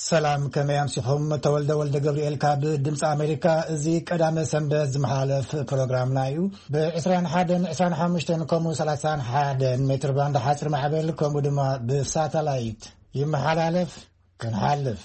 ሰላም፣ ከመይ ኣምሲኹም? ተወልደ ወልደ ገብርኤል ካብ ድምፂ ኣሜሪካ። እዚ ቀዳመ ሰንበት ዝመሓለፍ ፕሮግራምና እዩ። ብ ዕስራን ሓደን ዕስራን ሓሙሽተን ከምኡ ሰላሳን ሓደን ሜትር ባንድ ሓፂር ማዕበል ከምኡ ድማ ብሳተላይት ይመሓላለፍ። ክንሓልፍ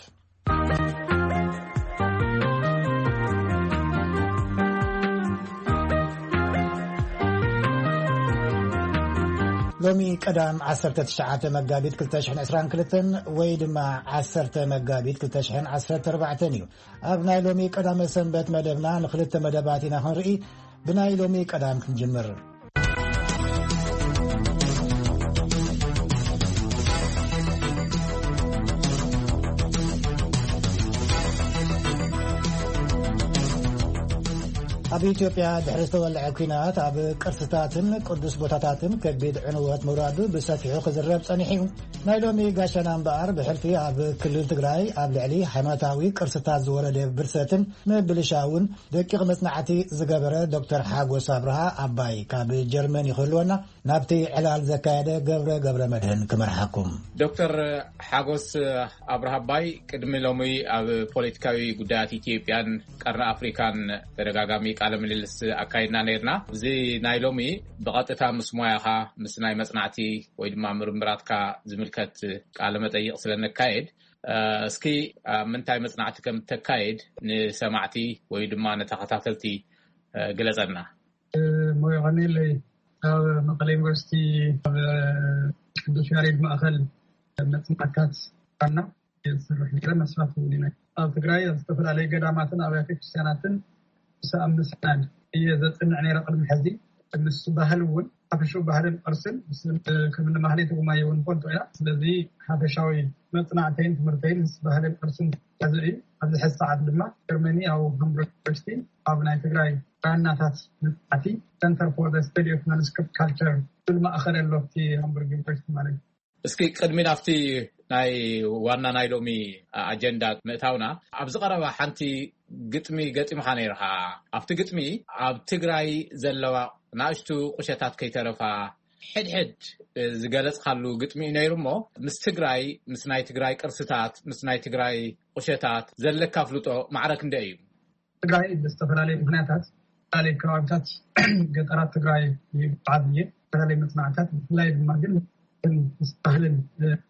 ሎሚ ቀዳም ዓሰርተ ትሽዓተ መጋቢት ክልተ ሽሕን ዕስራን ክልተን ወይ ድማ ዓሰርተ መጋቢት ክልተ ሽሕን ዓሰርተ ኣርባዕተን እዩ። ኣብ ናይ ሎሚ ቀዳመ ሰንበት መደብና ንክልተ መደባት ኢና ክንርኢ። ብናይ ሎሚ ቀዳም ክንጅምር። ኣብ ኢትዮጵያ ድሕሪ ዝተወልዐ ኲናት ኣብ ቅርስታትን ቅዱስ ቦታታትን ከቢድ ዕንወት ምውራዱ ብሰፊሑ ክዝረብ ጸኒሑ እዩ። ናይ ሎሚ ጋሻና እምበኣር ብሕልፊ ኣብ ክልል ትግራይ ኣብ ልዕሊ ሃይማኖታዊ ቅርስታት ዝወረደ ብርሰትን ምብልሻውን ደቂቕ መጽናዕቲ ዝገበረ ዶክተር ሓጎስ ኣብርሃ ኣባይ ካብ ጀርመን ይኽህልወና። ናብቲ ዕላል ዘካየደ ገብረ ገብረ መድህን ክመርሓኩም። ዶክተር ሓጎስ ኣብርሃ ኣባይ፣ ቅድሚ ሎሚ ኣብ ፖለቲካዊ ጉዳያት ኢትዮጵያን ቀርኒ ኣፍሪካን ተደጋጋሚ ቃለ ምልልስ ኣካይድና ነይርና። እዚ ናይ ሎሚ ብቐጥታ ምስ ሞያኻ፣ ምስ ናይ መጽናዕቲ ወይ ድማ ምርምራትካ ዝምልከት ቃለ መጠይቕ ስለ ነካየድ፣ እ፣ እስኪ ኣብ ምንታይ መጽናዕቲ ከም እተካይድ ንሰማዕቲ ወይ ድማ ንተኸታተልቲ፣ እ፣ ግለጸልና። ሞያ ቀኒለይ ኣብ መቐለ ዩኒቨርሲቲ ኣብ ቅዱስ ያሬድ ማእኸል መጽናዕታት ዋና የዝሰርሕ ነይረ። መስራቲ እውን እየ። ኣብ ትግራይ ኣብ ዝተፈላለዩ ገዳማትን ኣብያተ ክርስቲያናትን ሰኣምስናን እየ ዘጽንዕ ነይረ ቅድሚ ሕዚ። ምስ ባህል እውን ሓፈሻዊ ባህልን ቅርስን ምስ ከም እኒ ማህሌት ጉማየ እውን ንፈልጦ ኢና። ስለዚ ሓፈሻዊ መጽናዕተይን ትምህርተይን ምስ ባህልን ቅርስን ተያያዘ እዩ። ኣብዚ ሕዚ ሰዓት ድማ ጀርመኒ ኣብ ሃምቡርግ ዩኒቨርሲቲ ኣብ ናይ ትግራይ ብራናታት መጽናዕቲ Center for the Study of Manuscript Culture ዝብል ማእኸል ኣሎ ኣብቲ ሃምቡርግ ዩኒቨርሲቲ ማለት እዩ። እስኪ ቅድሚ ናብቲ ናይ ዋና ናይ ሎሚ ኣጀንዳ ምእታውና፣ ኣብዚ ቀረባ ሓንቲ ግጥሚ ገጢምኻ ነይርኻ። ኣብቲ ግጥሚ ኣብ ትግራይ ዘለዋ ናእሽቱ ቁሸታት ከይተረፋ ሕድሕድ ዝገለጽካሉ ግጥሚ እዩ ነይሩ። እሞ ምስ ትግራይ፣ ምስ ናይ ትግራይ ቅርስታት፣ ምስ ናይ ትግራይ ቁሸታት ዘለካ ኣፍልጦ ማዕረ ክንደይ እዩ? ትግራይ ብዝተፈላለዩ ምኽንያታት፣ ዝተፈላለዩ ከባቢታት ገጠራት ትግራይ ይጓዓዝ እየ። ዝተፈላለዩ መጽናዕታት፣ ብፍላይ ድማ ግን ምስ ባህልን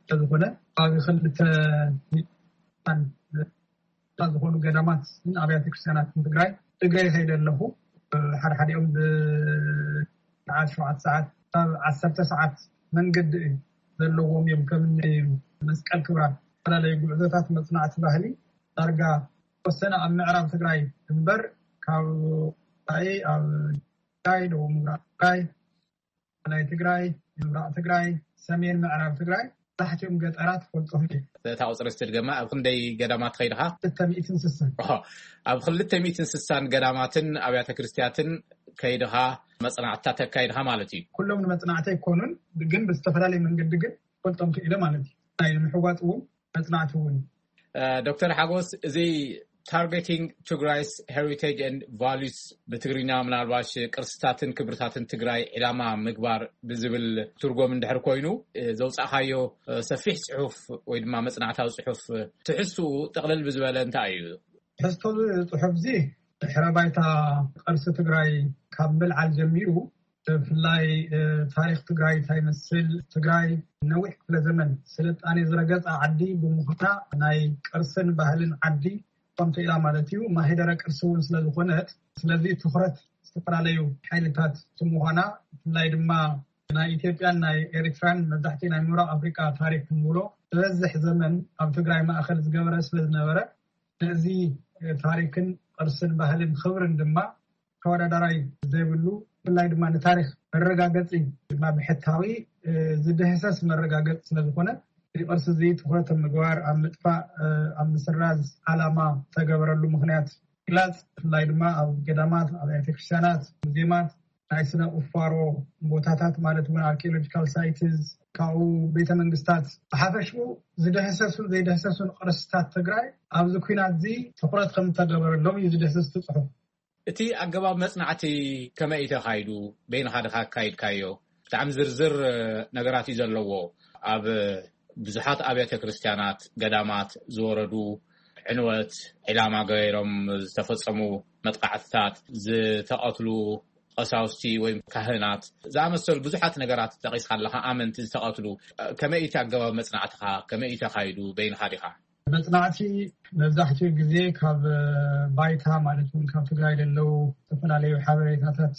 ስለዝኾነ፣ ከባቢ ክልተ ሚእትን ዝኾኑ ገዳማትን ኣብያተ ክርስቲያናትን ትግራይ እግረይ ከይደ ኣለኹ። ሓደ ሓዲኦም ብሰዓት ሸውዓተ ሰዓት ካብ ዓሰርተ ሰዓት መንገዲ እዩ ዘለዎም እዮም። ከም እኒ መስቀል ክብራ፣ ዝተፈላለዩ ጉዕዞታት መጽናዕቲ ባህሊ ዳርጋ ተወሰነ ኣብ ምዕራብ ትግራይ እምበር፣ ካብ ወጻኢ ኣብ ትግራይ፣ ደቡብ ምብራቕ ትግራይ፣ ማእከላይ ትግራይ፣ ምብራቕ ትግራይ፣ ሰሜን ምዕራብ ትግራይ፣ መብዛሕትኦም ገጠራት ፈልጦም እዮም። እታ ቁፅሪ እስቲ ድገማ፣ ኣብ ክንደይ ገዳማት ከይድኻ? ክልተ ሚእትን ስሳን። ኦሆ፣ ኣብ ክልተ ሚእትን ስሳን ገዳማትን ኣብያተ ክርስቲያትን ከይድኻ መፅናዕትታት ኣካይድኻ ማለት እዩ? ኩሎም ንመፅናዕቲ ኣይኮኑን፣ ግን ብዝተፈላለየ መንገዲ ግን ፈልጦም ክኢለ ማለት እዩ። ናይ ንምሕዋፅ እውን መፅናዕቲ እውን። እ፣ ዶክተር ሓጎስ፣ እዚ Targeting Tigray's Heritage and Values፣ ብትግርኛ ምናልባሽ ቅርስታትን ክብርታትን ትግራይ ዕላማ ምግባር ብዝብል ትርጎም እንድሕር ኮይኑ፣ እ፣ ዘውፃእካዮ፣ እ፣ ሰፊሕ ፅሑፍ ወይ ድማ መፅናዕታዊ ፅሑፍ፣ እ፣ ትሕዝትኡ ጥቕልል ብዝበለ እንታይ እዩ? ትሕዝቶ እዚ ፅሑፍ እዚ ድሕረ ባይታ ቅርሲ ትግራይ ካብ ምልዓል ጀሚሩ፣ ብፍላይ፣ እ፣ ታሪኽ ትግራይ እንታይ ይመስል፣ ትግራይ ነዊሕ ክፍለ ዘመን ስልጣኔ ዝረገጸ ዓዲ ብምዃና ናይ ቅርስን ባህልን ዓዲ ከምቲ ኢላ ማለት እዩ፣ ማህደረ ቅርሲ እውን ስለ ዝኾነት፣ ስለዚ ትኹረት ዝተፈላለዩ ሓይልታት እቲ ምዃና፣ ብፍላይ ድማ ናይ ኢትዮጵያን ናይ ኤርትራን መብዛሕትኡ ናይ ምብራቕ ኣፍሪቃ ታሪኽ ክንብሎ ዝበዝሕ ዘመን ኣብ ትግራይ ማእኸል ዝገበረ ስለ ዝነበረ፣ ነዚ ታሪኽን ቅርስን ባህልን ክብርን ድማ ተወዳዳራይ ዘይብሉ፣ ብፍላይ ድማ ንታሪኽ መረጋገፂ ድማ ብሕታዊ፣ እ፣ ዝድህሰስ መረጋገፂ ስለ ዝኾነ፣ እዚ ቅርሲ እዚ ትኹረት ኣብ ምግባር፣ ኣብ ምጥፋእ፣ እ፣ ኣብ ምስራዝ ዓላማ ዝተገበረሉ ምኽንያት ምግላፅ፣ ብፍላይ ድማ ኣብ ገዳማት፣ ኣብ ኣብያተ ክርስቲያናት፣ ሙዚየማት፣ ናይ ስነ ቁፋሮ ቦታታት ማለት እውን ኣርኪኦሎጂካል ሳይትስ፣ ካብኡ ቤተ መንግስታት፣ ብሓፈሽኡ ዝደህሰሱ ዘይደህሰሱን ቅርስታት ትግራይ ኣብዚ ኲናት እዚ ትኹረት ከም ዝተገበረሎም እዩ ዝድህስስ እቲ ፅሑፍ። እቲ ኣገባብ መጽናዕቲ ከመይ እዩ ተኻይዱ? በይንኻ ድኻ ኣካይድካዮ? ብጣዕሚ ዝርዝር፣ እ፣ ነገራት እዩ ዘለዎ። ኣብ ብዙሓት ኣብያተ ክርስቲያናት፣ ገዳማት ዝወረዱ ዕንወት፣ ዒላማ ገይሮም ዝተፈጸሙ መጥቃዕትታት፣ ዝተቐትሉ ቀሳውስቲ ወይ ካህናት ዝኣመሰሉ ብዙሓት ነገራት ጠቒስካ ኣለኻ። ኣመንቲ ዝተቐትሉ፣ ከመይ እቲ ኣገባብ መጽናዕትኻ? ከመይ እዩ ተኻይዱ? በይንኻ ዲኻ? መጽናዕቲ መብዛሕትኡ ግዜ ካብ ባይታ፣ ማለት እውን ካብ ትግራይ ዘለዉ ዝተፈላለዩ ሓበሬታታት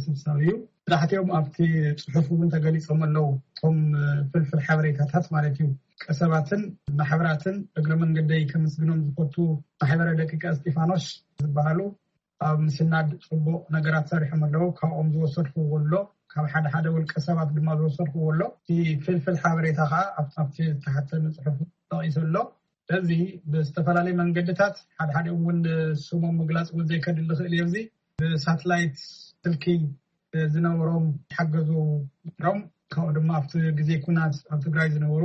ስብሳብ እዩ። መብዛሕትኦም ኣብቲ ጽሑፍ እውን ተገሊጾም ኣለዉ። እቶም ፍልፍል ሓበሬታታት ማለት እዩ። ቀሰባትን ማሕበራትን እግረ መንገደይ ከመስግኖም ዝፈቱ ማሕበረ ደቂቀ እስጢፋኖስ ዝበሃሉ ኣብ ምስናድ ጽቡቕ ነገራት ሰሪሖም ኣለዉ። ካብኦም ዝወሰድክዎ ኣሎ፣ ካብ ሓደ ሓደ ውልቀ ሰባት ድማ ዝወሰድክዎ ኣሎ። እቲ ፍልፍል ሓበሬታ ከዓ ኣብቲ ኣብቲ ዝተሓተመ ጽሑፍ ተጠቒሱ ኣሎ። ስለዚ ብዝተፈላለዩ መንገድታት፣ ሓደ ሓደ እውን ስሞም ምግላጽ እውን ዘይከድል ዝኽእል እየ። እዚ ብሳትላይት ስልኪ ዝነበሮም ሓገዙ ነይሮም። ካብኡ ድማ ኣብቲ ግዜ ኩናት ኣብ ትግራይ ዝነበሩ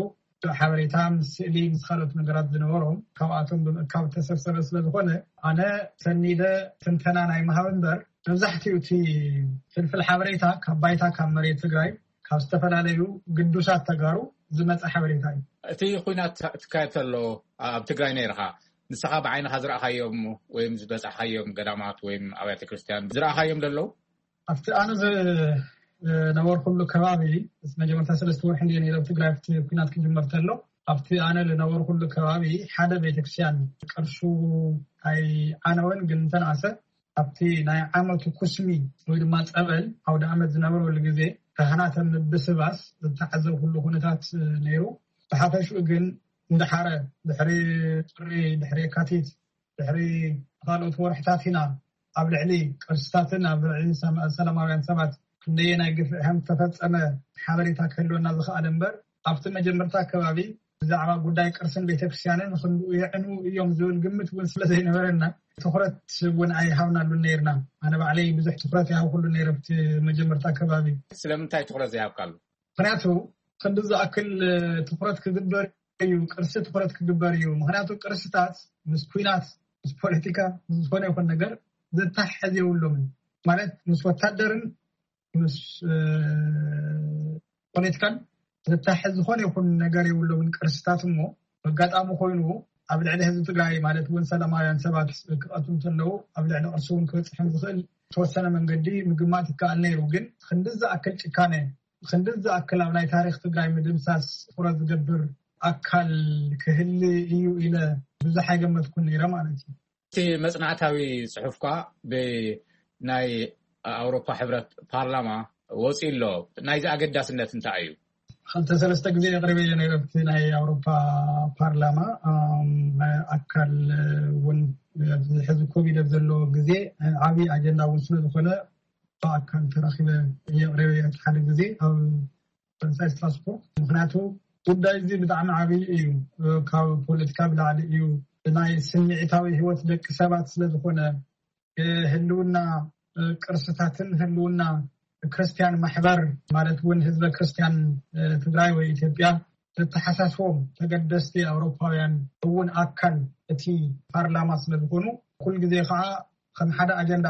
ሓበሬታ ምስ ስእሊ ምስ ካልኦት ነገራት ዝነበሮም ካብኣቶም ብምእካብ ተሰብሰበ ስለ ዝኾነ፣ ኣነ ሰኒደ ትንተና ናይ ምሃብ እምበር፣ መብዛሕትኡ እቲ ፍልፍል ሓበሬታ ካብ ባይታ፣ ካብ መሬት ትግራይ፣ ካብ ዝተፈላለዩ ግዱሳት ተጋሩ ዝመፀ ሓበሬታ እዩ። እቲ ኩናት ትካየድ ተሎ ኣብ ትግራይ ነይርኻ፣ ንስኻ ብዓይንኻ ዝረኣኻዮም ወይም ዝበጻሕካዮም ገዳማት ወይም ኣብያተ ክርስቲያን ዝረኣኻዮም ደለዉ? ኣብቲ ኣነ ዝነበርኩሉ ከባቢ፣ መጀመርታ ሰለስተ ወርሒ እንድየ ነይረ ኣብ ትግራይ፣ ኣብቲ ኩናት ክጅመር ተሎ። ኣብቲ ኣነ ዝነበርኩሉ ከባቢ ሓደ ቤተክርስትያን ቅርሱ ኣይዓነወን፣ ግን እንተነኣሰ ኣብቲ ናይ ዓመቱ ኩስሚ ወይ ድማ ጸበል ኣውደ ዓመት ዝነበረሉ ግዜ፣ ካህናት ኣብ ምብስባስ ዝተዓዘብኩሉ ኩነታት ነይሩ። ብሓፈሽኡ ግን፣ እንዳሓረ፣ ድሕሪ ጥሪ፣ ድሕሪ የካቲት፣ ድሕሪ ካልኦት ወርሕታት ኢና ኣብ ልዕሊ ቅርስታትን ኣብ ልዕሊ ሰማ-፣ ሰላማውያን ሰባት ክንደየናይ ግፍዒ ከም ዝተፈጸመ ሓበሬታ ክህልወና ዝኸኣለ እምበር፣ ኣብቲ መጀመርታ ከባቢ ብዛዕባ ጉዳይ ቅርስን ቤተክርስትያንን ክንድኡ የዕንዉ እዮም ዝብል ግምት እውን ስለ ዘይነበረና፣ ትኹረት እውን ኣይሃብናሉን ነይርና። ኣነ ባዕለይ ብዙሕ ትኹረት ኣይሃብኩሉን ነይረ ኣብቲ መጀመርታ ከባቢ። ስለምንታይ ትኹረት ዘይሃብካሉ? ምኽንያቱ ክንዲ ዝኣክል ትኹረት ክግበር እዩ፣ ቅርሲ ትኹረት ክግበር እዩ። ምኽንያቱ ቅርስታት ምስ ኩናት፣ ምስ ፖለቲካ፣ ምስ ዝኾነ ይኹን ነገር ዘተሓሕዝ የብሎምን። ማለት ምስ ወታደርን ምስ፣ እ፣ ፖለቲካን ዘተሓሕዝ ዝኾነ ይኹን ነገር የብሎምን ቅርስታት። እሞ ኣጋጣሚ ኮይኑ ኣብ ልዕሊ ህዝቢ ትግራይ፣ ማለት እውን ሰላማውያን ሰባት ክቐትሉ እንተለዉ፣ ኣብ ልዕሊ ቅርሲ እውን ክበፅሕ ዝኽእል ዝተወሰነ መንገዲ ምግማት ይከኣል ነይሩ። ግን ክንዲ ዝኣክል ጭካነ፣ ክንዲ ዝኣክል ኣብ ናይ ታሪኽ ትግራይ ምድምሳስ ትኹረት ዝገብር ኣካል ክህሊ እዩ ኢለ ብዙሕ ኣይገመትኩን ነይረ ማለት እዩ። እቲ መጽናዕታዊ ጽሑፍኳ ብናይ ኣውሮፓ ሕብረት ፓርላማ ወጺኡ ኣሎ። ናይዚ ኣገዳስነት እንታይ እዩ? ክልተ ሰለስተ ግዜ የቕርበዮ ነይረ ኣብቲ ናይ ኣውሮፓ ፓርላማ። ኣም፣ ኣካል እውን ኣብዚ ሕዚ ኮቪድ ኣብ ዘለዎ ግዜ ዓብዪ ኣጀንዳ እውን ስለ ዝኾነ፣ ብኣካል ተራኺበ የቕርበዮ እቲ ሓደ ግዜ ኣብ ፈረንሳይ ስትራስቡርግ። ምኽንያቱ ጉዳይ እዚ ብጣዕሚ ዓብዪ እዩ። ካብ ፖለቲካ ብላዕሊ እዩ። ናይ ስምዒታዊ ህይወት ደቂ ሰባት ስለ ዝኾነ፣ ህልውና ቅርስታትን ህልውና ክርስቲያን ማሕበር፣ ማለት እውን ህዝበ ክርስቲያን ትግራይ ወይ ኢትዮጵያ ዘተሓሳስቦም ተገደስቲ ኣውሮፓውያን እውን ኣካል እቲ ፓርላማ ስለ ዝኾኑ፣ ኩል ግዜ ከዓ ከም ሓደ ኣጀንዳ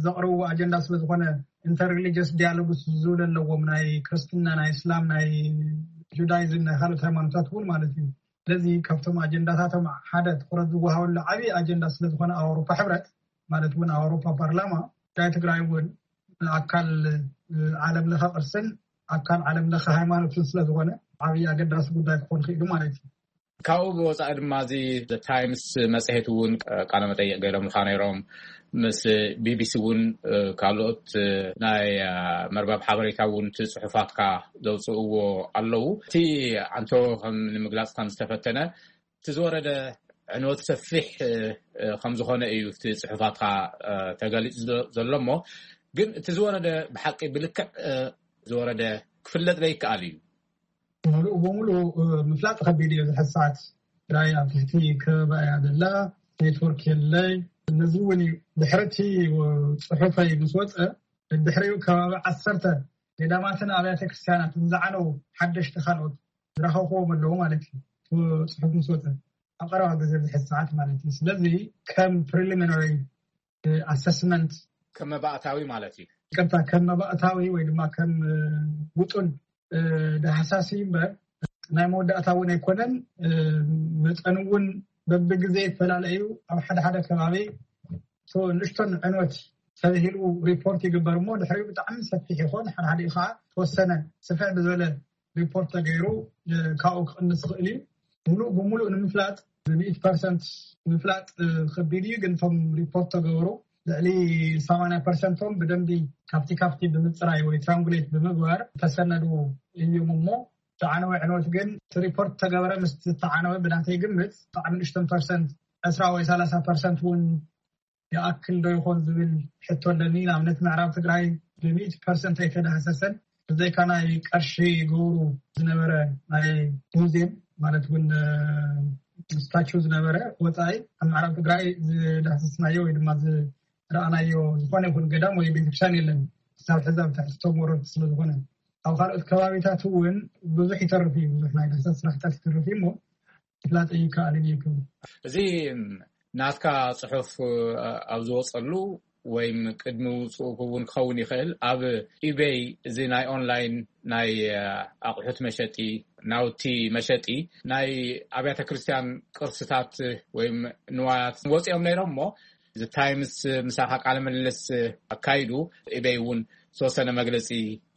ዘቕርብዎ ኣጀንዳ ስለ ዝኾነ፣ ኢንተርሪሊጅስ ዲያሎግስ ዝብል ኣለዎም፣ ናይ ክርስትና፣ ናይ እስላም፣ ናይ ጁዳይዝም፣ ናይ ካልኦት ሃይማኖታት እውን ማለት እዩ። ስለዚ ካብቶም ኣጀንዳታቶም ሓደ ትኹረት ዝወሃበሉ ዓብዪ ኣጀንዳ ስለ ዝኾነ፣ ኣውሮፓ ሕብረት ማለት እውን ኣውሮፓ ፓርላማ፣ ጉዳይ ትግራይ እውን ኣካል ዓለም ለኸ ቅርስን ኣካል ዓለም ለኸ ሃይማኖትን ስለ ዝኾነ፣ ዓብዪ ኣገዳሲ ጉዳይ ክኾን ክኢሉ ማለት እዩ። ካብኡ ብወፃኢ ድማ፣ እዚ ዘ ታይምስ መፅሄት እውን ቃለ መጠይቕ ገይሮምልካ ነይሮም። ምስ ቢ ቢ ሲ እውን፣ ካልኦት ናይ መርበብ ሓበሬታ እውን እቲ ፅሑፋትካ ዘውፅእዎ ኣለዉ። እቲ ኣንቶ ከም ንምግላፅ ከም ዝተፈተነ፣ እቲ ዝወረደ ዕንወት ሰፊሕ ከም ዝኾነ እዩ እቲ ፅሑፋትካ ተገሊፁ ዘሎ። እሞ ግን እቲ ዝወረደ ብሓቂ ብልክዕ ዝወረደ ክፍለጥ ዘይከኣል እዩ። ሙሉእ ብሙሉእ ምፍላጥ ከቢድ እዩ። ዝሕሳት ትግራይ ኣብ ትሕቲ ከበባ እያ ዘላ፣ ኔትወርክ የለይ። ነዚ እውን እዩ ድሕሪ እቲ ጽሑፈይ ምስ ወፀ፣ ድሕሪኡ ከባቢ ዓሰርተ ገዳማትን ኣብያተ ክርስቲያናትን ዝዓነው ሓደሽቲ ካልኦት ዝረኸብክዎም ኣለዉ ማለት እዩ። እቲ ጽሑፍ ምስ ወፀ ኣብ ቀረባ ግዜ ዝሕሳት ማለት እዩ። ስለዚ ከም ፕሪሊሚናሪ ኣሰስመንት፣ ከም መባእታዊ ማለት እዩ። ይቅርታ፣ ከም መባእታዊ ወይ ድማ ከም ውጡን ዳህሳሲ እምበር፣ ናይ መወዳእታ እውን ኣይኮነን። መፀን እውን በብግዜ ይፈላለ እዩ። ኣብ ሓደ ሓደ ከባቢ ንእሽቶን ዕንወት ተባሂሉ ሪፖርት ይግበር እሞ ድሕሪኡ ብጣዕሚ ሰፊሕ ይኾን። ሓደ ሓደ ከዓ ተወሰነ ስፍሕ ብዝበለ ሪፖርት ተገይሩ ካብኡ ክቕንስ ይኽእል እዩ። ሙሉእ ብሙሉእ ንምፍላጥ ብሚእት ፐርሰንት ምፍላጥ ከቢድ እዩ። ግን እቶም ሪፖርት ተገብሩ ልዕሊ ሰማንያ ፐርሰንቶም ብደንቢ ካብቲ ካብቲ ብምፅራይ ወይ ትራንጉሌት ብምግባር ተሰነዱ እዮም እሞ ዝዓነወ ዕንወት ግን እቲ ሪፖርት ተገበረ ምስ ዝተዓነወ ብናተይ ግምት ብጣዕሚ ንእሽተን ፐርሰንት ዕስራ ወይ ሰላሳ ፐርሰንት እውን ይኣክል ዶ ይኾን ዝብል ሕቶ ኣለኒ። ንኣብነት ምዕራብ ትግራይ ብሚእቲ ፐርሰንት ኣይተዳህሰሰን። ብዘይካ ናይ ቀርሺ ገብሩ ዝነበረ ናይ ሙዚየም ማለት እውን ስታቹ ዝነበረ ወፃኢ ኣብ ምዕራብ ትግራይ ዝዳህሰስናዮ ወይ ድማ ዝረኣናዮ ዝኾነ ይኹን ገዳም ወይ ቤተክርስትያን የለን። ክሳብ ሕዚ ኣብ ትሕቲ ቶም ወረርቲ ስለዝኾነ ኣብ ካልኦት ከባቢታት እውን ብዙሕ ይተርፍ እዩ። ብዙሕ ናይ ዳህሳስ ስራሕታት ይተርፍ እዩ እሞ ፍላጥ ይከኣልን ይክም እዚ ናትካ ፅሑፍ ኣብ ዝወፀሉ ወይም ቅድሚ ውፅኡ እውን ክኸውን ይኽእል ኣብ ኢቤይ እዚ ናይ ኦንላይን ናይ ኣቑሑት መሸጢ ናውቲ መሸጢ ናይ ኣብያተ ክርስቲያን ቅርስታት ወይም ንዋያት ወፂኦም ነይሮም እሞ እዚ ታይምስ ምሳኻ ቃለ ምልልስ ኣካይዱ ኢቤይ እውን ዝተወሰነ መግለፂ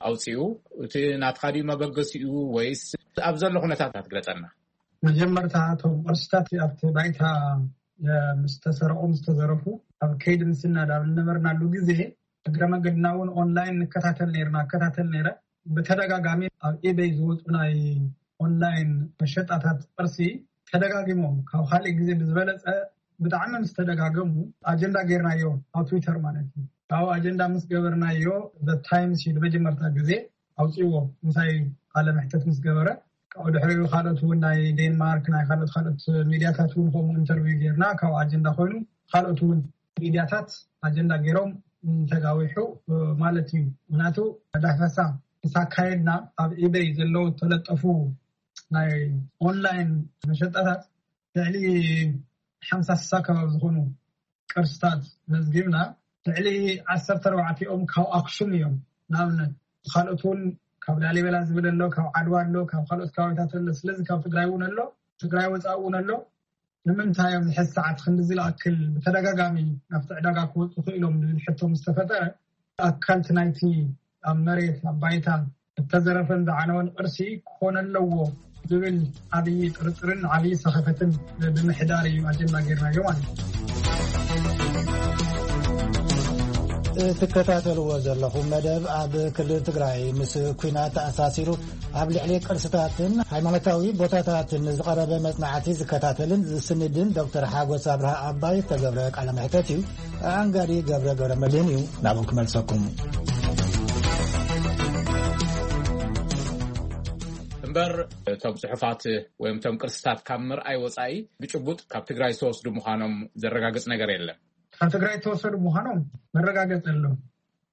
ኣውፅኡ። እቲ ናትካ ድዩ መበገሲኡ ወይስ ኣብ ዘሎ ኩነታት ትግለፀና? መጀመርታ እቶም ቅርስታት ኣብቲ ባይታ ምስ ተሰረቑ ምስ ተዘረፉ ኣብ ከይዲ ምስናድ ኣብ ዝነበርናሉ ግዜ እግረ መንገድና እውን ኦንላይን ንከታተል ነርና እከታተል ነረ። ብተደጋጋሚ ኣብ ኢበይ ዝወፁ ናይ ኦንላይን መሸጣታት ቅርሲ ተደጋጊሞም ካብ ካልእ ግዜ ብዝበለፀ ብጣዕሚ ምስ ተደጋገሙ ኣጀንዳ ጌርናዮ ኣብ ትዊተር ማለት እዩ። ካብኡ ኣጀንዳ ምስ ገበርናዮ ታይምስ እዩ ንመጀመርታ ግዜ ኣውፅዎ ምሳይ ቃለ መሕተት ምስ ገበረ ካብኡ ድሕሪኡ ካልኦት እውን ናይ ዴንማርክ ናይ ካልኦት ካልኦት ሚዲያታት እውን ከምኡ ኢንተርቪው ጌርና ካብ ኣጀንዳ ኮይኑ ካልኦት እውን ሚዲያታት ኣጀንዳ ገይሮም ተጋዊሑ ማለት እዩ። ምክንያቱ ዳህሳሳ ምስ ኣካየድና ኣብ ኢበይ ዘለዉ ተለጠፉ ናይ ኦንላይን መሸጣታት ልዕሊ ሓምሳ ስሳ ከባቢ ዝኾኑ ቅርስታት መዝጊብና ልዕሊ ዓሰርተ ኣርባዕቲኦም ካብ ኣክሱም እዮም። ንኣብነት ካልኦት እውን ካብ ላሊበላ ዝብል ኣሎ፣ ካብ ዓድዋ ኣሎ፣ ካብ ካልኦት ከባቢታት ኣሎ። ስለዚ ካብ ትግራይ እውን ኣሎ፣ ትግራይ ወፃኢ እውን ኣሎ። ንምንታይ ኣብዚ ሕዚ ሰዓት ክንዲ ዝለኣክል ብተደጋጋሚ ናብቲ ዕዳጋ ክወፁ ክኢሎም ዝብል ሕቶ ምስ ተፈጠረ ኣካልቲ ናይቲ ኣብ መሬት ኣብ ባይታ እተዘረፈን ዝዓነወን ቅርሲ ክኾነ ኣለዎ ዝብል ዓብዪ ጥርጥርን ዓብዪ ሰኸፈትን ብምሕዳር እዩ ኣጀንዳ ጌርናዮ ማለት እዩ። እትከታተልዎ ዘለኹም መደብ ኣብ ክልል ትግራይ ምስ ኲናት ተኣሳሲሩ ኣብ ልዕሊ ቅርስታትን ሃይማኖታዊ ቦታታትን ዝቐረበ መጽናዕቲ ዝከታተልን ዝስንድን ዶክተር ሓጎስ ኣብርሃ ኣባይ ዝተገብረ ቃለ መሕተት እዩ። ኣንጋዲ ገብረ ገብረ መድህን እዩ ናብኡ ክመልሰኩም። እምበር እቶም ጽሑፋት ወይም እቶም ቅርስታት ካብ ምርኣይ ወጻኢ ብጭቡጥ ካብ ትግራይ ዝተወስዱ ምዃኖም ዘረጋግጽ ነገር የለን። ካብ ትግራይ ዝተወሰዱ ምዃኖም መረጋገጽ ኣሎ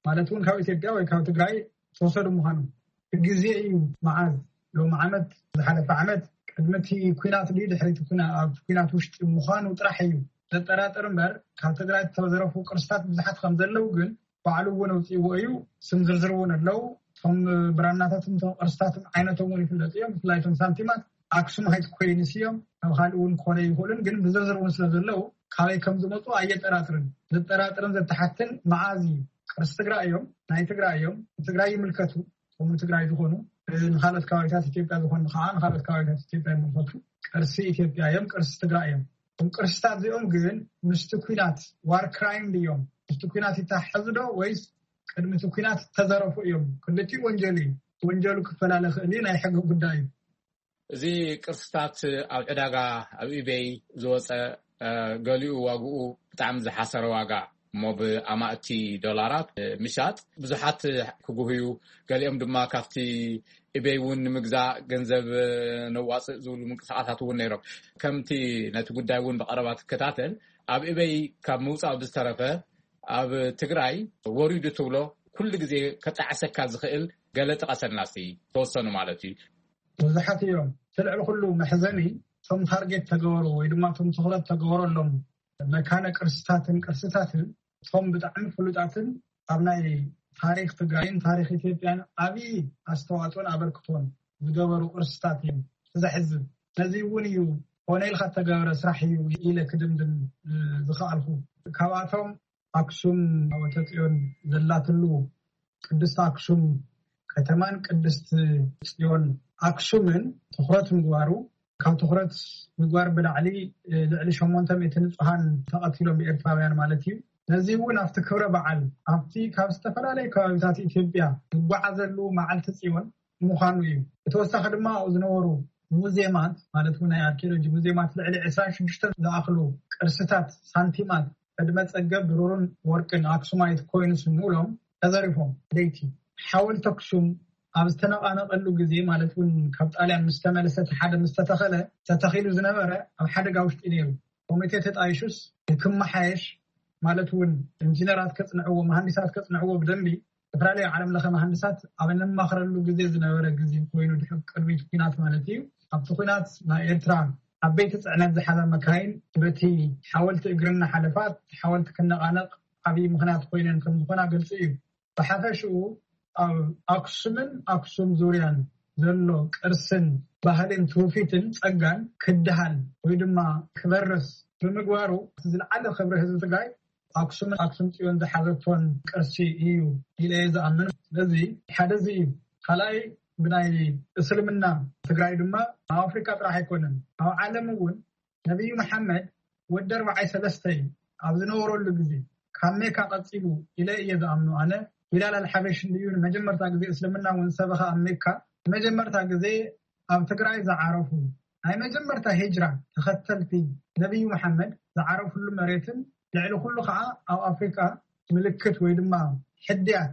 ማለት እውን ካብ ኢትዮጵያ ወይ ካብ ትግራይ ዝተወሰዱ ምዃኖም ግዜ እዩ። መዓዝ ሎም ዓመት ዝሓለፈ ዓመት ቅድሚ እቲ ኩናት ድዩ ድሕሪ እቲ ኩና- ኣብ ኩናት ውሽጢ ምዃኑ ጥራሕ እዩ ዘጠራጥር እምበር ካብ ትግራይ ዝተዘረፉ ቅርስታት ብዙሓት ከም ዘለዉ ግን ባዕሉ እውን ኣውፅእዎ እዩ። ስም ዝርዝር እውን ኣለዉ። እቶም ብራናታትን እቶም ቅርስታትን ዓይነቶም እውን ይፍለጡ እዮም። ብፍላይ እቶም ሳንቲማት ኣክሱማይት ኮይንስ እዮም። ካብ ካልእ እውን ክኾነ ይኽእሉን ግን ብዝርዝር እውን ስለ ዘለዉ ካበይ ከም ዝመፁ ኣየጠራጥርን። ዘጠራጥርን ዘተሓትን መዓዝ እዩ ቅርሲ ትግራይ እዮም ናይ ትግራይ እዮም ንትግራይ ይምልከቱ ከምኡ ትግራይ ዝኾኑ ንካልኦት ከባቢታት ኢትዮጵያ ዝኾኑ ከዓ ንካልኦት ከባቢታት ኢትዮጵያ ይምልከቱ። ቅርሲ ኢትዮጵያ እዮም ቅርሲ ትግራይ እዮም። እቶም ቅርስታት እዚኦም ግን ምስቲ ኩናት ዋር ክራይም ድዮም ምስቲ ኩናት ይተሓዙ ዶ ወይስ ቅድሚ እቲ ኩናት ዝተዘረፉ እዮም? ክልቲኡ ወንጀል እዩ። ወንጀሉ ክፈላለ ክእል እዩ ናይ ሕጊ ጉዳይ እዩ። እዚ ቅርስታት ኣብ ዕዳጋ ኣብ ኢቤይ ዝወፀ ገሊኡ ዋግኡ ብጣዕሚ ዝሓሰረ ዋጋ እሞ ብኣማእቲ ዶላራት ምሻጥ ብዙሓት ክጉህዩ ገሊኦም ድማ ካብቲ ኢቤይ እውን ንምግዛእ ገንዘብ ነዋፅእ ዝብሉ ምንቅስቃሳት እውን ነይሮም። ከምቲ ነቲ ጉዳይ እውን ብቀረባ ትከታተል ኣብ ኢቤይ ካብ ምውፃእ ብዝተረፈ ኣብ ትግራይ ወሪዱ ትብሎ ኩሉ ግዜ ከጣዕሰካ ዝኽእል ገለ ጥቀሰልና እስቲ ተወሰኑ ማለት እዩ። ብዙሓት እዮም እቲ ልዕሊ ኩሉ መሕዘኒ እቶም ታርጌት ተገበሩ ወይ ድማ እቶም ትኹረት ተገበረሎም መካነ ቅርስታትን ቅርስታትን እቶም ብጣዕሚ ፍሉጣትን ኣብ ናይ ታሪክ ትግራይን ታሪክ ኢትዮጵያን ዓብዪ ኣስተዋፅኦን ኣበርክቶን ዝገበሩ ቅርስታት እዮም። ዘሕዝን። ነዚ እውን እዩ ኮነ ኢልካ እተገበረ ስራሕ እዩ ኢለ ክድምድም ዝኸኣልኩ። ካብኣቶም ኣክሱም ታቦተ ጽዮን ዘላትሉ ቅድስቲ ኣክሱም ከተማን ቅድስቲ ጽዮን ኣክሱምን ትኹረት ምግባሩ፣ ካብ ትኹረት ምግባር ብላዕሊ ልዕሊ ሸሞንተ ሚእቲ ንጹሃን ተቐቲሎም ብኤርትራውያን ማለት እዩ። ነዚ እውን ኣብቲ ክብረ በዓል ኣብቲ ካብ ዝተፈላለዩ ከባቢታት ኢትዮጵያ ዝጓዓዘሉ መዓልቲ ጽዮን ምዃኑ እዩ። ብተወሳኺ ድማ ኣብኡ ዝነበሩ ሙዜማት ማለት እውን ናይ ኣርኪኦሎጂ ሙዜማት ልዕሊ ዕስራን ሽዱሽተን ዝኣኽሉ ቅርስታት ሳንቲማት ዕድመ ጸገብ ብሩርን ወርቅን ኣክሱማይት ኮይንስ ምሉኦም ተዘሪፎም። ለይቲ ሓወልቲ ኣክሱም ኣብ ዝተነቓነቐሉ ግዜ ማለት እውን ካብ ጣልያን ምስ ተመለሰ እቲ ሓደ ምስ ተተኸለ ተተኺሉ ዝነበረ ኣብ ሓደጋ ውሽጢ ነይሩ። ኮሚቴ ተጣይሹስ ክመሓየሽ ማለት እውን ኢንጂነራት ከጽንዕዎ መሃንዲሳት ከጽንዕዎ ብደንቢ ዝተፈላለዩ ዓለም ለኸ መሃንዲሳት ኣብ እንማኽረሉ ግዜ ዝነበረ ግዜ ኮይኑ ድሕር ቅድሚት ኩናት ማለት እዩ። ኣብቲ ኩናት ናይ ኤርትራ ዓበይቲ ጽዕነት ዝሓዛ መካይን በቲ ሓወልቲ እግሪ እናሓለፋ ሓወልቲ ክነቓነቕ ዓብዪ ምኽንያት ኮይነን ከም ዝኾና ግልፂ እዩ። ብሓፈሽኡ ኣብ ኣክሱምን ኣክሱም ዙርያን ዘሎ ቅርስን ባህልን ትውፊትን ጸጋን ክድሃል ወይ ድማ ክበርስ ብምግባሩ ዝለዓለ ክብሪ ህዝቢ ትግራይ ኣክሱምን ኣክሱም ጽዮን ዝሓዘቶን ቅርሲ እዩ ኢለ እየ ዝኣምን። ስለዚ ሓደ እዚ እዩ። ካልኣይ ብናይ እስልምና ትግራይ ድማ ኣብ ኣፍሪካ ጥራሕ ኣይኮነን ኣብ ዓለም እውን ነቢዩ መሓመድ ወዲ ኣርባዓይ ሰለስተ እዩ ኣብ ዝነበረሉ ግዜ ካብ ሜካ ቀፂሉ ኢለ እየ ዝኣምኑ ኣነ። ቢላል ኣልሓበሽ እንድዩ ንመጀመርታ ግዜ እስልምና እውን ሰበኸ ኣብ ሜካ ንመጀመርታ ግዜ ኣብ ትግራይ ዝዓረፉ ናይ መጀመርታ ሂጅራ ተኸተልቲ ነቢዩ መሓመድ ዝዓረፉሉ መሬትን ልዕሊ ኩሉ ከዓ ኣብ ኣፍሪካ ምልክት ወይ ድማ ሕድያት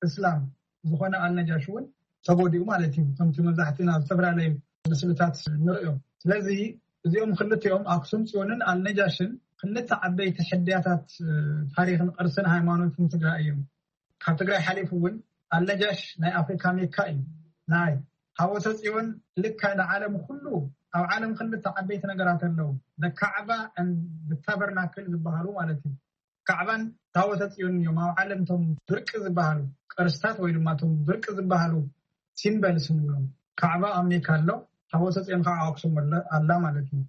እስላም ዝኾነ ኣልነጃሽ እውን ተጎዲኡ ማለት እዩ። ከምቲ መብዛሕትና ኣብ ዝተፈላለዩ ምስልታት ንርእዮም። ስለዚ እዚኦም ክልቲኦም ኣክሱም ፅዮንን ኣልነጃሽን ክልተ ዓበይቲ ሕድያታት ታሪክን ቅርስን ሃይማኖትን ትግራይ እዮም። ካብ ትግራይ ሓሊፉ እውን ኣልነጃሽ ናይ ኣፍሪካ ሜካ እዩ። ናይ ታቦተ ፅዮን ልካ ንዓለም ኩሉ ኣብ ዓለም ክልተ ዓበይቲ ነገራት ኣለዉ። ካዕባ ብታበርናክል ዝበሃሉ ማለት እዩ። ካዕባን ታቦተ ፅዮን እዮም ኣብ ዓለም ቶም ብርቂ ዝበሃሉ ቅርስታት ወይ ድማ ቶም ብርቂ ዝበሃሉ ሲምበልስ ንብሎም። ካዕባ ኣብ ሜካ ኣሎ፣ ታቦተ ፅዮን ከዓ ኣክሱም ኣላ ማለት እዩ።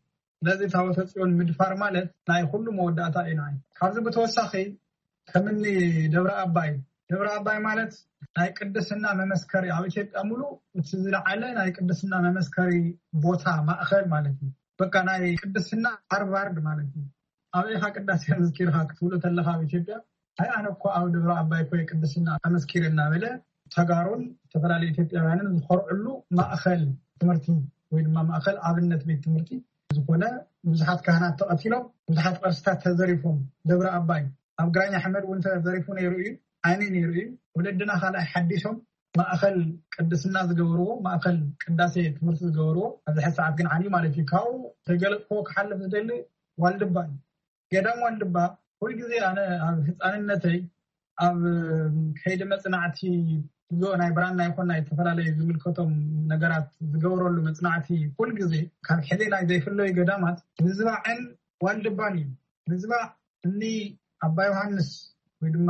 ስለዚ ታቦተ ፅዮን ምድፋር ማለት ናይ ኩሉ መወዳእታ እዩ። ንዓይ ካብዚ ብተወሳኺ ከምኒ ደብረ ኣባይ ደብረ ኣባይ ማለት ናይ ቅድስና መመስከሪ ኣብ ኢትዮጵያ ሙሉ እቲ ዝለዓለ ናይ ቅድስና መመስከሪ ቦታ ማእኸል ማለት እዩ። በቃ ናይ ቅድስና ሃርቫርድ ማለት እዩ። ኣበይ ኢኻ ቅዳሴ ኣመስኪርካ ክትብሎ ተለካ ኣብ ኢትዮጵያ ኣይ ኣነ እኮ ኣብ ደብረ ኣባይ እኮ ቅድስና ኣመስኪረ እናበለ ተጋሩን ዝተፈላለዩ ኢትዮጵያውያንን ዝኮርዕሉ ማእኸል ትምህርቲ ወይ ድማ ማእኸል ኣብነት ቤት ትምህርቲ ዝኾነ ብዙሓት ካህናት ተቐቲሎም ብዙሓት ቅርስታት ተዘሪፎም ደብረ ኣባይ ኣብ ግራኝ ኣሕመድ እውን ተዘሪፉ ነይሩ እዩ። ዓይኒ ነይሩ እዩ። ወለድና ካልኣይ ሓዲሶም ማእኸል ቅድስና ዝገበርዎ ማእኸል ቅዳሴ ትምህርቲ ዝገበርዎ ኣብዚ ሕዚ ሰዓት ግን ዓንዩ ማለት እዩ። ካብኡ ተገለጥክዎ ክሓልፍ ዝደሊ ዋልድባ እዩ። ገዳም ዋልድባ ኩልግዜ ኣነ ኣብ ህፃንነተይ ኣብ ከይዲ መፅናዕቲ ጉዞ ናይ ብራና ይኮን ናይ ዝተፈላለዩ ዝምልከቶም ነገራት ዝገብረሉ መፅናዕቲ ኩልግዜ ካብ ሕሌናይ ዘይፍለዩ ገዳማት ምዝባዕን ዋልድባን እዩ። ምዝባዕ እኒ ኣባ ዮሃንስ ወይ ድማ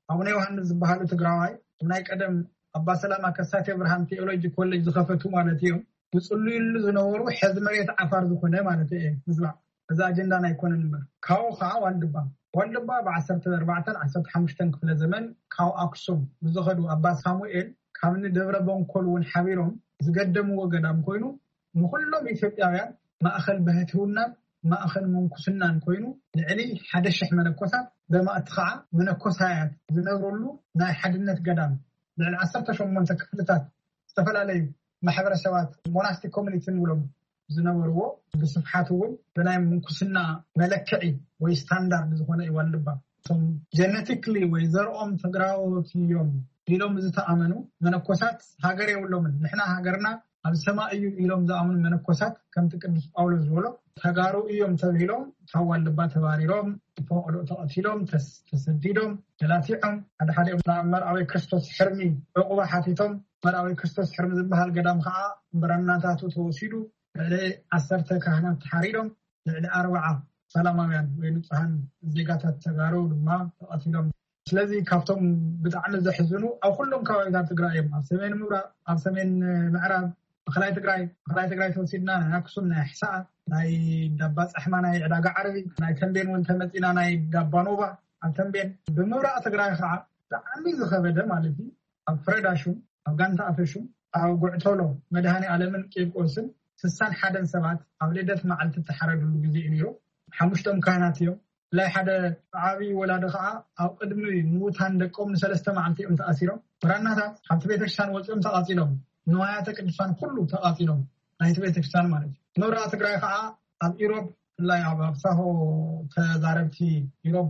ኣቡነ ዮሃንስ ዝበሃሉ ትግራዋይ ናይ ቀደም ኣባ ሰላማ ከሳቴ ብርሃን ቴኦሎጂ ኮሌጅ ዝኸፈቱ ማለት እዮም። ዝፅልዩሉ ዝነበሩ ሕዚ መሬት ዓፋር ዝኾነ ማለት እየ ምዝባዕ እዚ ኣጀንዳና ኣይኮነን እምበር ካብኡ ከዓ ዋልድባ ዋልድባ ብ ዓሰርተ ኣርባዕተን ዓሰርተ ሓሙሽተን ክፍለ ዘመን ካብ ኣክሱም ብዝኸዱ ኣባ ሳሙኤል ካብ ንደብረ በንኮል እውን ሓቢሮም ዝገደምዎ ገዳም ኮይኑ ንኩሎም ኢትዮጵያውያን ማእኸል ባህትውናን ማእኸል ምንኩስናን ኮይኑ ልዕሊ ሓደ ሽሕ መነኮሳት በማእቲ ከዓ መነኮሳያት ዝነብረሉ ናይ ሓድነት ገዳም ልዕሊ ዓሰርተ ሸሞንተ ክፍልታት ዝተፈላለዩ ማሕበረሰባት ሞናስቲክ ኮሚኒቲ ንብሎም ዝነበርዎ ብስፍሓት እውን ብናይ ምንኩስና መለክዒ ወይ ስታንዳርድ ዝኾነ እዩ ዋልድባ። እቶም ጀነቲክሊ ወይ ዘርኦም ትግራዎት እዮም ኢሎም ዝተኣመኑ መነኮሳት ሃገር የብሎምን። ንሕና ሃገርና ኣብ ሰማይ እዩ ኢሎም ዝኣምኑ መነኮሳት ከምቲ ቅዱስ ጳውሎስ ዝበሎ ተጋሩ እዮም ተብሂሎም ካብ ዋልድባ ተባሪሮም፣ ፈቐዶ ተቐቲሎም፣ ተስ- ተሰዲዶም፣ ተላቲዖም፣ ሓደ ሓዲኦም ናብ መርኣዊ ክርስቶስ ሕርሚ ዕቑባ ሓቲቶም። መርኣዊ ክርስቶስ ሕርሚ ዝበሃል ገዳም ከዓ ብረናታቱ ተወሲዱ ልዕሊ ዓሰርተ ካህናት ተሓሪዶም ልዕሊ ኣርባዓ ሰላማውያን ወይ ንጹሃን ዜጋታት ተጋሩ ድማ ተቐቲሎም። ስለዚ ካብቶም ብጣዕሚ ዘሕዝኑ ኣብ ኩሎም ከባቢታት ትግራይ እዮም። ኣብ ሰሜን ምብራቕ፣ ኣብ ሰሜን ምዕራብ፣ ማእኸላይ ትግራይ፣ ማእኸላይ ትግራይ ተወሲድና ናይ ኣክሱም፣ ናይ ኣሕሳኣ፣ ናይ ዳባ ጻሕማ፣ ናይ ዕዳጋ ዓርቢ፣ ናይ ተንቤን እውን ተመጺና ናይ ዳባ ኖባ ኣብ ተንቤን፣ ብምብራቕ ትግራይ ከዓ ብጣዕሚ ዝኸበደ ማለት እዩ። ኣብ ፍረዳሹም፣ ኣብ ጋንታ ኣፈሹም፣ ኣብ ጉዕተሎ መድሃኔ ኣለምን ቂርቆስን ስሳን ሓደን ሰባት ኣብ ልደት መዓልቲ እተሓረድሉ ግዜ እዩ ነይሩ። ሓሙሽቶም ካህናት እዮም። ብላይ ሓደ ዓብዪ ወላዲ ከዓ ኣብ ቅድሚ ምውታን ደቆም ንሰለስተ መዓልቲ እዮም ተኣሲሮም። ብራናታት ካብቲ ቤተክርስትያን ወፂኦም ተቓፂሎም፣ ንዋያተ ቅዱሳን ኩሉ ተቓፂሎም፣ ናይቲ ቤተክርስትያን ማለት እዩ። ምብራቕ ትግራይ ከዓ ኣብ ኢሮብ፣ ብፍላይ ኣብ ኣብሳሆ ተዛረብቲ ኢሮብ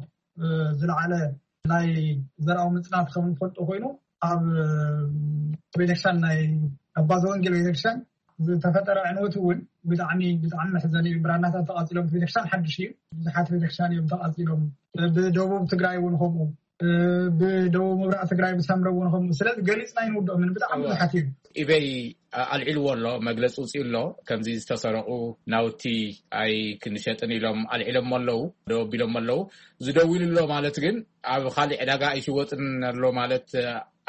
ዝለዓለ ናይ ዘርኣዊ ምፅናት ከም ንፈልጦ ኮይኑ፣ ኣብ ቤተክርስትያን ናይ ኣባ ዘወንጌል ቤተክርስትያን ዝተፈጠረ ዕንወት እውን ብጣዕሚ ብጣዕሚ መሕዘኒ እዩ። ብራናታት ተቃፂሎም፣ ቤተክርስትያን ሓድሽ እዩ፣ ብዙሓት ቤተክርስትያን እዮም ተቃፂሎም። ብደቡብ ትግራይ እውን ከምኡ፣ ብደቡብ ምብራቅ ትግራይ ብሳምረ እውን ከምኡ። ስለዚ ገሊፅና ይንውድኦ ምን ብጣዕሚ ብዙሓት እዩ። ኢበይ ኣልዒልዎ ኣሎ፣ መግለፂ ውፅኡ ኣሎ። ከምዚ ዝተሰረቁ ናውቲ ኣይ ክንሸጥን ኢሎም ኣልዒሎም ኣለዉ፣ ደው ኣቢሎም ኣለዉ። ዝደውሉ ኣሎ ማለት ግን ኣብ ካሊእ ዕዳጋ ኣይሽወጥን ኣሎ ማለት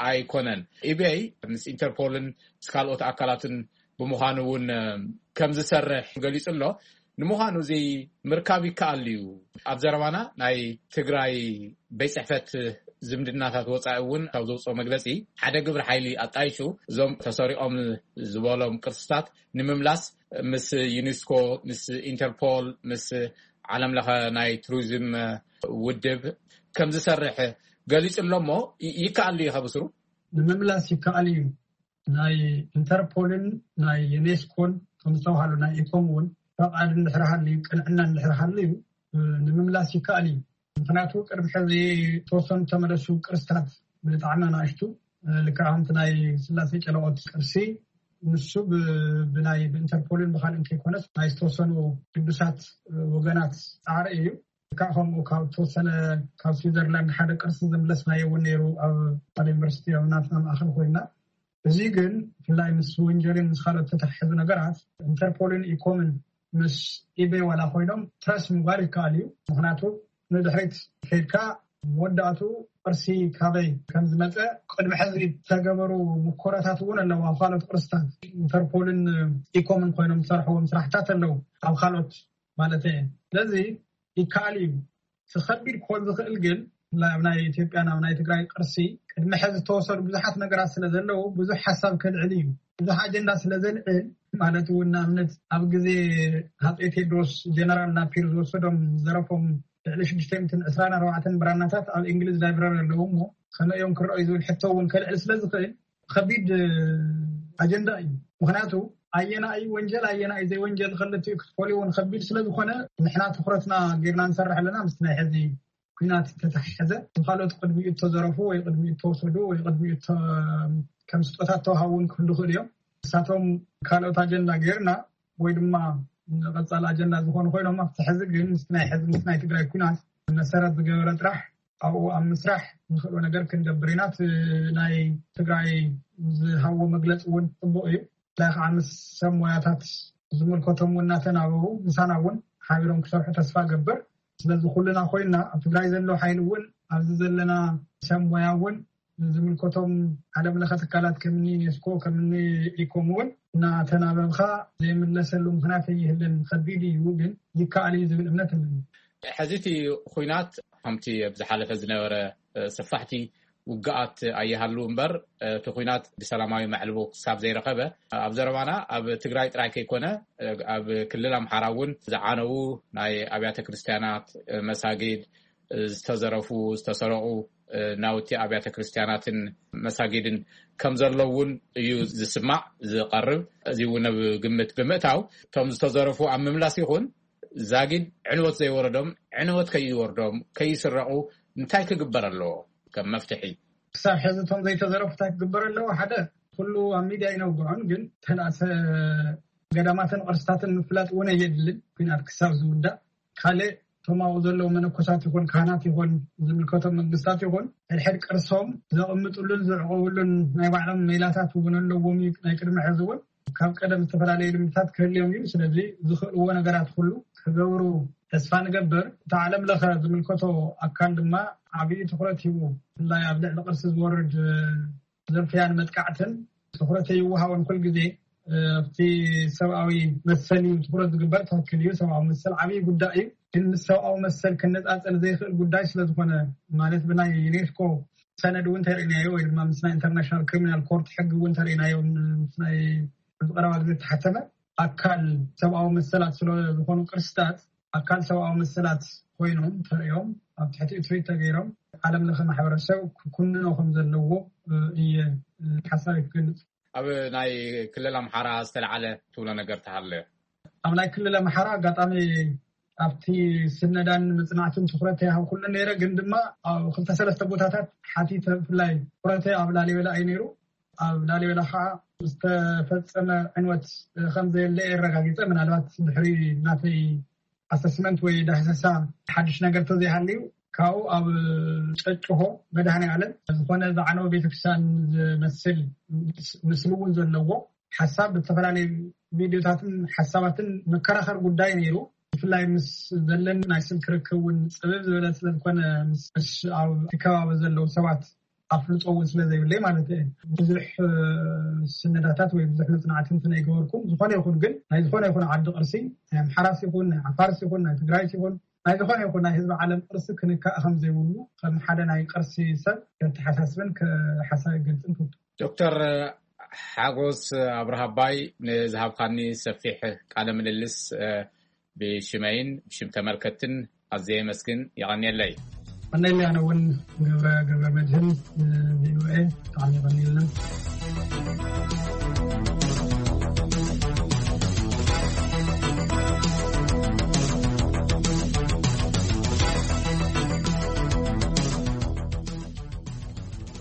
ኣይኮነን። ኢበይ ምስ ኢንተርፖልን ምስ ካልኦት ኣካላትን ብምዃኑ እውን ከም ዝሰርሕ ገሊፁ ኣሎ። ንምዃኑ እዚ ምርካብ ይከኣል እዩ? ኣብ ዘረባና ናይ ትግራይ ቤት ፅሕፈት ዝምድናታት ወፃኢ እውን ካብ ዘውፅኦ መግለፂ፣ ሓደ ግብሪ ሓይሊ ኣጣይሹ እዞም ተሰሪቆም ዝበሎም ቅርስታት ንምምላስ ምስ ዩኒስኮ፣ ምስ ኢንተርፖል፣ ምስ ዓለም ለኸ ናይ ቱሪዝም ውድብ ከም ዝሰርሕ ገሊፁ ኣሎ። እሞ ይከኣል እዩ ከብስሩ? ንምምላስ ይከኣል እዩ። ናይ ኢንተርፖልን ናይ ዩኔስኮን ከም ዝተባሃሉ ናይ ኢኮም እውን ፈቃድ እንድሕር ሃልዩ፣ ቅንዕና እንድሕር ሃልዩ ንምምላስ ይከኣል እዩ። ምክንያቱ ቅድሚ ሕዚ ተወሰኑ ተመለሱ ቅርስታት ብጣዕሚ ኣናእሽቱ፣ ልክዕ ከምቲ ናይ ስላሴ ጨለቆት ቅርሲ፣ ንሱ ብናይ ብኢንተርፖልን ብካልእ እንተይኮነስ ናይ ዝተወሰኑ ቅዱሳት ወገናት ፃዕሪ እዩ። ልክዕ ከምኡ ካብ ተወሰነ ካብ ስዊዘርላንድ ሓደ ቅርሲ ዘምለስናዮ እውን ነይሩ ኣብ ሓደ ዩኒቨርሲቲ ኣብ ናትና ማእኸል ኮይና። እዚ ግን ብፍላይ ምስ ወንጀልን ምስ ካልኦት ተተሓሕዙ ነገራት ኢንተርፖልን ኢኮምን ምስ ኢቤ ዋላ ኮይኖም ትረስ ምግባር ይከኣል እዩ። ምክንያቱ ንድሕሪት ከይድካ መወዳእቱ ቅርሲ ካበይ ከም ዝመፀ ቅድሚ ሕዚ ዝተገበሩ ምኮራታት እውን ኣለዉ። ኣብ ካልኦት ቅርስታት ኢንተርፖልን ኢኮምን ኮይኖም ዝሰርሕዎም ስራሕታት ኣለዉ ኣብ ካልኦት ማለት እየ። ስለዚ ይከኣል እዩ። እቲ ከቢድ ክኾን ዝኽእል ግን ኣብ ናይ ኢትዮጵያን ኣብ ናይ ትግራይ ቅርሲ ቅድሚ ሕዚ ዝተወሰዱ ብዙሓት ነገራት ስለ ዘለዉ ብዙሕ ሓሳብ ከልዕል እዩ። ብዙሕ ኣጀንዳ ስለ ዘልዕል ማለት እውን ንኣብነት ኣብ ግዜ ሃፀይ ቴድሮስ ጀነራል ናፒር ዝወሰዶም ዝዘረፎም ልዕሊ ሽዱሽተ ሚእትን ዕስራን ኣርባዕተን ብራናታት ኣብ እንግሊዝ ላይብረሪ ኣለዉ እሞ ከመይ እዮም ክረኣዩ ዝብል ሕቶ እውን ከልዕል ስለ ዝኽእል ከቢድ ኣጀንዳ እዩ። ምክንያቱ ኣየናይ ወንጀል ኣየናይ ዘይወንጀል ከለትኡ ክትፈልዩ እውን ከቢድ ስለዝኮነ ንሕና ትኩረትና ጌርና ንሰርሕ ኣለና። ምስ ናይ ሕዚ ኩናት ተተሓሕዘ ካልኦት ቅድሚኡ እተዘረፉ ወይ ቅድሚኡ እተወሰዱ ወይ ቅድሚኡ ከም ስጦታት ተዋሃቡ እውን ክህሉ ይኽእሉ እዮም። ንሳቶም ካልኦት ኣጀንዳ ጌርና ወይ ድማ ቀፃል ኣጀንዳ ዝኾኑ ኮይኖም ኣብቲ ሕዚ ግን ምስ ናይ ሕዚ ምስ ናይ ትግራይ ኩናት መሰረት ዝገበረ ጥራሕ ኣብኡ ኣብ ምስራሕ ንኽእሎ ነገር ክንገብር ኢና። እቲ ናይ ትግራይ ዝሃቦ መግለፂ እውን ፅቡቅ እዩ። ብፍላይ ከዓ ምስ ሰብ ሞያታት ዝምልከቶም እውን እናተናበቡ ምሳና እውን ሓቢሮም ክሰርሑ ተስፋ ገብር። ስለዚ ኩልና ኮይንና ኣብ ትግራይ ዘሎ ሓይሊ እውን ኣብዚ ዘለና ሰብ ሞያ እውን ዝምልከቶም ዓለም ለኸ ትካላት ከምኒ ዩኔስኮ ከምኒ ኢኮም እውን እናተናበብካ ዘይምለሰሉ ምክንያት ኣይህልን። ከቢድ እዩ ግን ይከኣል እዩ ዝብል እምነት ኣለኒ። ሕዚ እቲ ኩናት ከምቲ ኣብ ዝሓለፈ ዝነበረ ሰፋሕቲ ውግኣት ኣይሃሉ እምበር እቲ ኩናት ብሰላማዊ መዕልቦ ክሳብ ዘይረኸበ ኣብ ዘረባና ኣብ ትግራይ ጥራይ ከይኮነ ኣብ ክልል ኣምሓራ እውን ዝዓነዉ ናይ ኣብያተ ክርስትያናት፣ መሳጊድ፣ ዝተዘረፉ ዝተሰረቑ ናውቲ ኣብያተ ክርስትያናትን መሳጊድን ከም ዘለውን እዩ ዝስማዕ ዝቐርብ። እዚ እውን ኣብ ግምት ብምእታው እቶም ዝተዘረፉ ኣብ ምምላስ ይኹን ዛጊድ ዕንወት ዘይወረዶም ዕንወት ከይወርዶም ከይስረቑ እንታይ ክግበር ኣለዎ ከም መፍትሒ? ክሳብ ሕዚ እቶም ዘይተዘረፉ እንታይ ክግበር ኣለዎ? ሓደ ኩሉ ኣብ ሚድያ ይነግዖን ግን ተላእሰ ገዳማትን ቅርስታትን ምፍላጥ እውን ኣየድልን። ኩናት ክሳብ ዝውዳእ ካልእ እቶም ኣብኡ ዘለዉ መነኮሳት ይኹን ካህናት ይኹን ዝምልከቶም መንግስታት ይኹን ሕድሕድ ቅርሶም ዘቕምጥሉን ዝዕቆብሉን ናይ ባዕሎም ሜላታት እውን ኣለዎም እዩ። ናይ ቅድሚ ሕዚ እውን ካብ ቀደም ዝተፈላለዩ ልምድታት ክህልዮም እዩ። ስለዚ ዝኽእልዎ ነገራት ኩሉ ክገብሩ ተስፋ ንገብር። እቲ ዓለም ለኸ ዝምልከቶ ኣካል ድማ ዓብዪ ትኩረት ሂቡ ብፍላይ ኣብ ልዕሊ ቅርሲ ዝወርድ ዝርፍያን መጥቃዕትን ትኩረት ይወሃቦን ኩል ግዜ ኣብቲ ሰብኣዊ መሰል እዩ ትኩረት ዝግበር። ትክክል እዩ፣ ሰብኣዊ መሰል ዓብዪ ጉዳይ እዩ። ግን ምስ ሰብኣዊ መሰል ክነፃፀል ዘይኽእል ጉዳይ ስለዝኾነ፣ ማለት ብናይ ዩኔስኮ ሰነድ እውን ተርእናዮ ወይ ድማ ምስ ናይ ኢንተርናሽናል ክሪሚናል ኮርት ሕጊ እውን ተርእናዮ፣ ምስ ናይ ኣብዚ ቀረባ ግዜ ዝተሓተመ ኣካል ሰብኣዊ መሰላት ስለዝኾኑ ቅርስታት ኣካል ሰብኣዊ መሰላት ኮይኖም ተርእዮም ኣብ ትሕቲ እትሪት ተገይሮም ዓለም ለኸ ማሕበረሰብ ክኩንኖ ከም ዘለዎ እየ ሓሳብ ክገልፅ። ኣብ ናይ ክልል ኣምሓራ ዝተለዓለ ትብሎ ነገር ተሃለ? ኣብ ናይ ክልል ኣምሓራ ኣጋጣሚ ኣብቲ ስነዳን መፅናዕትን ትኩረት ይሃብ ኩሉ ነይረ፣ ግን ድማ ኣብ ክልተ ሰለስተ ቦታታት ሓቲተ። ብፍላይ ትኩረተይ ኣብ ላሊበላ እዩ ነይሩ። ኣብ ላሊበላ ከዓ ዝተፈፀመ ዕንወት ከም ዘየለ የረጋጊፀ። ምናልባት ድሕሪ ናተይ ኣሰስመንት ወይ ዳህሰሳ ሓድሽ ነገር ተዘይሃልዩ፣ ካብኡ ኣብ ጨጭሆ መድኃኔ ዓለም ዝኾነ ዝዓነወ ቤተክርስትያን ዝመስል ምስ- ምስሉ እውን ዘለዎ ሓሳብ ብዝተፈላለዩ ቪድዮታትን ሓሳባትን መከራኸር ጉዳይ ነይሩ። ብፍላይ ምስ ዘለኒ ናይ ስልክ ርክብ እውን ፅብብ ዝበለ ስለዝኮነ ምስ ምስ ኣብ እቲ ከባቢ ዘለዉ ሰባት ኣፍልጦ እውን ስለ ዘይብለይ ማለት እየ። ብዙሕ ስነዳታት ወይ ብዙሕ መፅናዕቲ እንትን ኣይገበርኩም። ዝኾነ ይኹን ግን ናይ ዝኾነ ይኹን ዓዲ ቅርሲ ናይ ኣምሓራስ ይኹን ናይ ዓፋርስ ይኹን ናይ ትግራይስ ይኹን ናይ ዝኾነ ይኹን ናይ ህዝቢ ዓለም ቅርሲ ክንካእ ከም ዘይብሉ ከም ሓደ ናይ ቅርሲ ሰብ ከተሓሳስብን ሓሳብ ይገልፅን ክብቱ። ዶክተር ሓጎስ ኣብርሃባይ፣ ንዝሃብካኒ ሰፊሕ ቃለ ምልልስ ብሽመይን ብሽም ተመልከትን ኣዘየ መስግን። የቐንየለይ። ቀነለይ ኣነ እውን ገብረ ገብረ መድህን፣ ቪኦኤ፣ ብጣዕሚ የቐንየልና።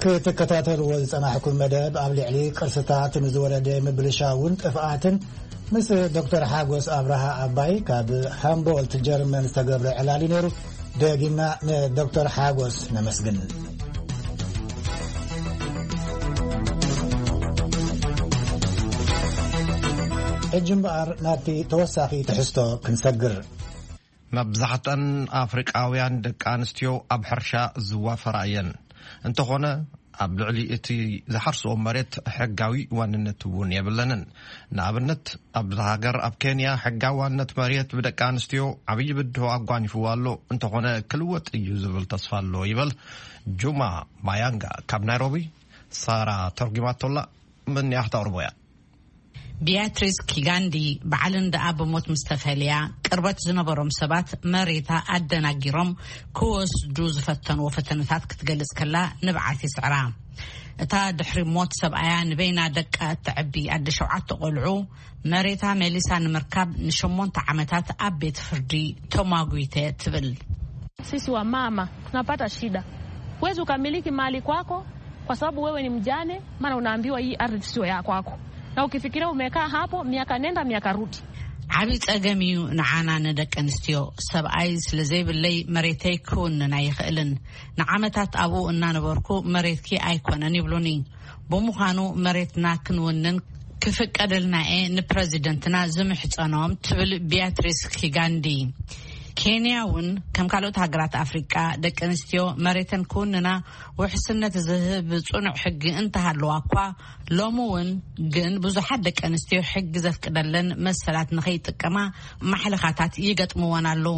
ክትከታተልዎ ዝጸናሕኩም መደብ ኣብ ልዕሊ ቅርስታት ንዝወረደ ምብልሻውን ጥፍኣትን ምስ ዶክተር ሓጎስ ኣብርሃ ኣባይ ካብ ሃምቦልት ጀርመን ዝተገብረ ዕላል እዩ ነይሩ። ደጊምና ንዶክተር ሓጎስ ነመስግን። ሕጂ እምበኣር ናብቲ ተወሳኺ ትሕዝቶ ክንሰግር። መብዛሕተን ኣፍሪቃውያን ደቂ ኣንስትዮ ኣብ ሕርሻ ዝዋፈራ እየን። እንተኾነ ኣብ ልዕሊ እቲ ዝሓርስኦ መሬት ሕጋዊ ዋንነት እውን የብለንን። ንኣብነት ኣብዛ ሃገር ኣብ ኬንያ ሕጋዊ ዋንነት መሬት ብደቂ ኣንስትዮ ዓብዪ ብድሆ ኣጓኒፍዎ ኣሎ። እንተኾነ ክልወጥ እዩ ዝብል ተስፋ ኣሎ ይበል ጁማ ማያንጋ ካብ ናይሮቢ። ሳራ ተርጉማቶላ። መን ያህታ ኦርቦያ። ቢያትሪስ ኪጋንዲ በዓል እንዳ ብሞት ምስ ተፈልያ ቅርበት ዝነበሮም ሰባት መሬታ ኣደናጊሮም ክወስዱ ዝፈተንዎ ፈተነታት ክትገልጽ ከላ ንብዓት ይስዕራ። እታ ድሕሪ ሞት ሰብኣያ ንበይና ደቃ እተዕቢ ኣደ ሸውዓተ ቆልዑ መሬታ መሊሳ ንምርካብ ንሸሞንተ ዓመታት ኣብ ቤት ፍርዲ ተማጒተ ትብል። Sisi wa mama tunapata shida. Huwezi ukamiliki mali kwako kwa sababu wewe ni mjane, maana unaambiwa hii ardhi sio ya kwako. Na ukifikiria umekaa hapo miaka nenda miaka rudi. ዓብዪ ጸገም እዩ ንዓና ንደቂ ኣንስትዮ። ሰብኣይ ስለ ዘይብለይ መሬተይ ክውንን ኣይኽእልን። ንዓመታት ኣብኡ እናነበርኩ መሬትኪ ኣይኮነን ይብሉኒ። ብምዃኑ መሬትና ክንውንን ክፍቀደልና እየ ንፕረዚደንትና ዝምሕጸኖም ትብል ቢያትሪስ ኪጋንዲ። ኬንያ እውን ከም ካልኦት ሃገራት ኣፍሪቃ ደቂ ኣንስትዮ መሬተን ክውንና ውሕስነት ዝህብ ጽኑዕ ሕጊ እንተሃለዋ እኳ ሎሚ እውን ግን ብዙሓት ደቂ ኣንስትዮ ሕጊ ዘፍቅደለን መሰላት ንኸይጥቀማ ማሕለኻታት ይገጥምወን ኣለዉ።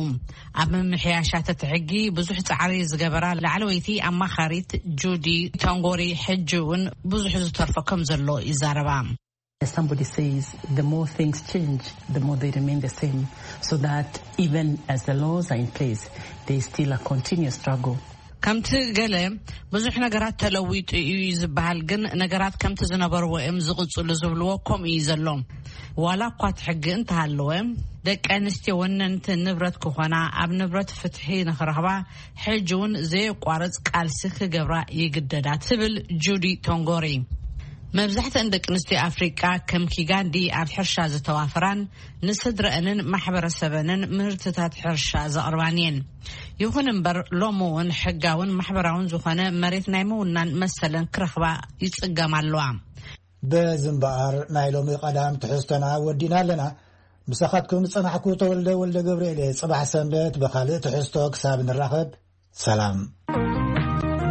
ኣብ ምምሕያሻት እቲ ሕጊ ብዙሕ ጻዕሪ ዝገበራ ላዕለወይቲ ኣማኻሪት ጁዲ ቶንጎሪ ሕጂ እውን ብዙሕ ዝተርፎ ከም ዘሎ ይዛረባ። As somebody says, the more things change, the more they remain the same. So that even as the laws are in place, there is still a continuous struggle. ከምቲ ገለ ብዙሕ ነገራት ተለዊጡ እዩ ዝበሃል፣ ግን ነገራት ከምቲ ዝነበርዎ እዮም ዝቕጽሉ ዝብልዎ ከምኡ እዩ ዘሎ። ዋላ እኳ እቲ ሕጊ እንተሃለወ፣ ደቂ ኣንስትዮ ወነንቲ ንብረት ክኾና፣ ኣብ ንብረት ፍትሒ ንኽረኽባ ሕጂ እውን ዘየቋርጽ ቃልሲ ክገብራ ይግደዳ ትብል ጁዲ ቶንጎሪ። መብዛሕትአን ደቂ ኣንስትዮ ኣፍሪቃ ከም ኪጋንዲ ኣብ ሕርሻ ዝተዋፈራን ንስድረአንን ማሕበረሰበንን ምህርትታት ሕርሻ ዘቕርባን እየን። ይኹን እምበር ሎሚ እውን ሕጋውን ማሕበራውን ዝኾነ መሬት ናይ ምውናን መሰለን ክረኽባ ይጽገማ ኣለዋ። በዚ እምበኣር ናይ ሎሚ ቀዳም ትሕዝቶና ወዲና ኣለና። ምሳኻትኩም ዝጸናሕኩ ተወልደ ወልደ ገብርኤል እየ። ጽባሕ ሰንበት ብኻልእ ትሕዝቶ ክሳብ ንራኸብ ሰላም።